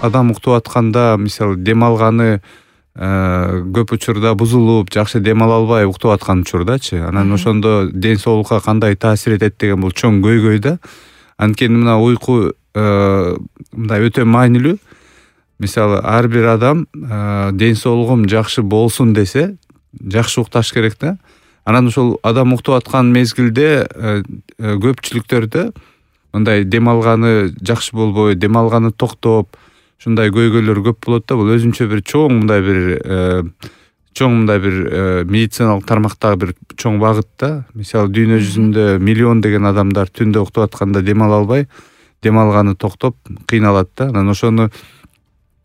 адам уктап атканда мисалы дем алганы көп учурда бузулуп, жакшы дем ала албай уктап аткан учурдачы. Анан ошондо ден соолукка кандай таасир этет деген бул чоң көйгөй да. Анткени мына уйку мындай өтө маанилүү. Мисалы ар бир адам ден соолугум жакшы болсун десе, жакшы укташ керек да. Анан ошол адам уктап аткан мезгилде көпчүлүктөрдө мындай дем алганы жакшы болбой, дем алганы токтоп, ушундай көйгөйлөр көп болот да. Бул өзүнчө бир чоң мындай бир медициналык тармактагы бир чоң багыт да. Мисалы дүйнө жүзүндө миллион деген адамдар түндө уктап атканда дем ала албай, дем алганы токтоп кыйналат да. Анан ошону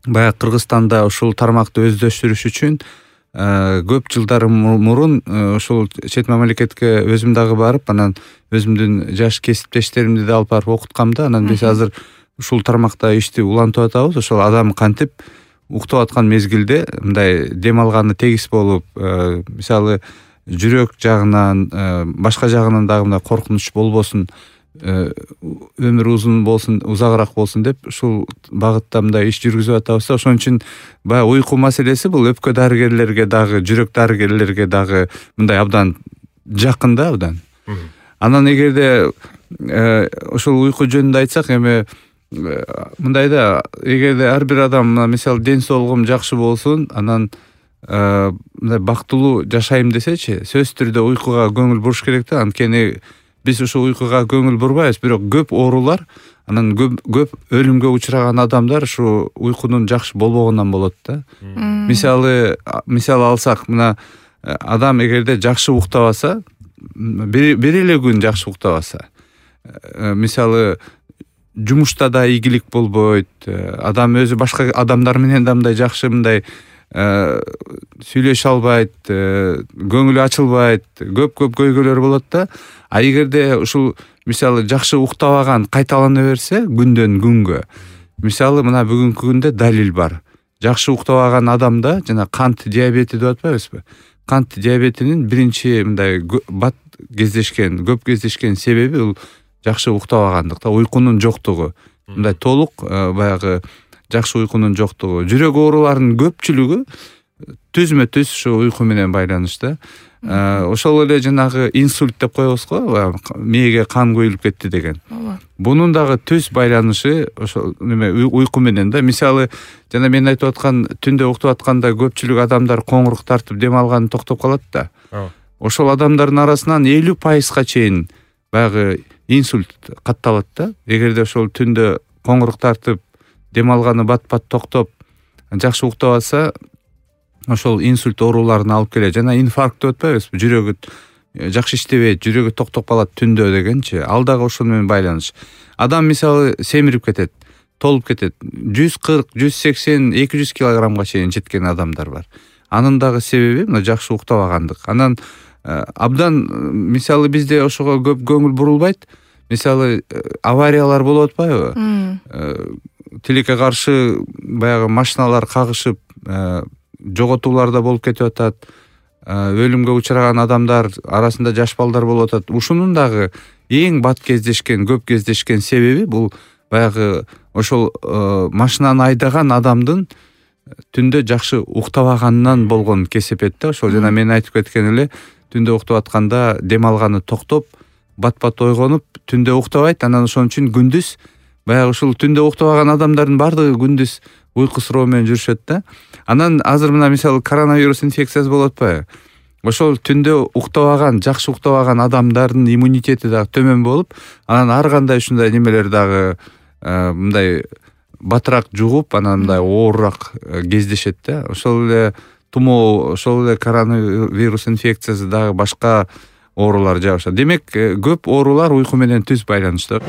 баягы Кыргызстанда ушул тармакты өздөштүрүш үчүн көп жылдар мурун ушул чет мамлекетке өзүм дагы барып, анан өзүмдүн жаш кесиптештеримди да алып барып окуткам да. Анан биз азыр ушул тармакта ишти улантып атабыз. Ошол адам кантип уктап аткан мезгилде мындай дем алганы тегиз болуп, мисалы жүрөк жагынан, башка жагынан дагы мындай коркунуч болбосун, өмүр узун болсун, узагыраак болсун деп ушул багытта мындай иш жүргүзүп атабыз. Ошон үчүн баягы уйку маселеси бул өпкө дарыгерлерге дагы, жүрөк дарыгерлерге дагы мындай абдан жакын да, абдан. Анан эгерде ушул уйку жөнүндө айтсак, эми мындай да, эгерде ар бир адам мисалы ден соолугум жакшы болсун, анан мындай бактылуу жашайм десечи, сөзсүз түрдө уйкуга көңүл буруш керек да. Анткени биз ушул уйкуга көңүл бурбайбыз, бирок көп оорулар, анан көп өлүмгө учураган адамдар ушу уйкунун жакшы болбогонунан болот да. Мисалы алсак, мына адам эгерде жакшы уктабаса, бир эле күн жакшы уктабаса, мисалы жумушта да ийгилик болбойт, адам өзү башка адамдар менен да мындай жакшы мындай сүйлөшө албайт, көңүлү ачылбайт, көп көйгөйлөр болот да. А эгерде ушул мисалы жакшы уктабаган кайталана берсе күндөн күнгө, мисалы мына бүгүнкү күндө далил бар. Жакшы уктабаган адамда жана кант диабети деп атпайбызбы? Кант диабетинин биринчи мындай көп кездешкен себеби бул жакшы уктабагандык да, уйкунун жоктугу. Мындай толук баягы жакшы уйкунун жоктугу. Жүрөк ооруларынын көпчүлүгү түзмө-түз ушу уйку менен байланыштуу. Ошол эле жанагы инсульт деп коебуз го, мээге кан көйүлүп кетти деген. Бунун дагы түз байланышы ошол уйку менен да. Мисалы жана мен айтып аткан түндө уктап атканда көпчүлүк адамдар коңурук тартып дем алганы токтоп калат да. Ошол адамдардын арасынан 50% чейин баягы инсульт катталат да. Эгерде ошол түндө коңурук тартып дем алганы бат-бат токтоп жакшы уктап алса, ошол инсульт ооруларына алып келет. Жана инфаркт деп атпайбызбы? Жүрөгү жакшы иштебейт, жүрөгү токтоп калат түндө дегенчи. Ал дагы ошол менен байланыш. Адам мисалы семирип кетет, толуп кетет. 140, 180, 200 килограммга чейин жеткен адамдар бар. Анын дагы себеби мына жакшы уктабагандык. Анан абдан мисалы бизде ошого көп көңүл бурулбайт. Мисалы авариялар болуп атпайбы? Тилекке каршы баягы машиналар кагышып, жоготуулар да болуп кетип атат. Өлүмгө учураган адамдар арасында жаш балдар болуп атат. Ушунун дагы эң бат кездешкен, көп кездешкен себеби бул баягы ошол машинаны айдаган адамдын түндө жакшы уктабаганынан болгон кесепет да. Ошол жана мен айтып кеткен эле, түндө уктап атканда дем алганы токтоп, бат-бат ойгонуп, түндө уктабайт. Анан ошон үчүн күндүз баягы ушул түндө уктабаган адамдардын бардыгы күндүз уйкусуроо менен жүрүшөт да. Анан азыр мына мисалы коронавирус инфекциясы болуп атпайбы? Ошол түндө уктабаган, жакшы уктабаган адамдардын иммунитети дагы төмөн болуп, анан ар кандай ушундай немелер дагы мындай батыраак жугуп, анан мындай оорураак кездешет да. Ошол эле тумоо, ошол эле коронавирус инфекциясы дагы башка оорулар жабышат. Демек, көп оорулар уйку менен түз байланыштуу.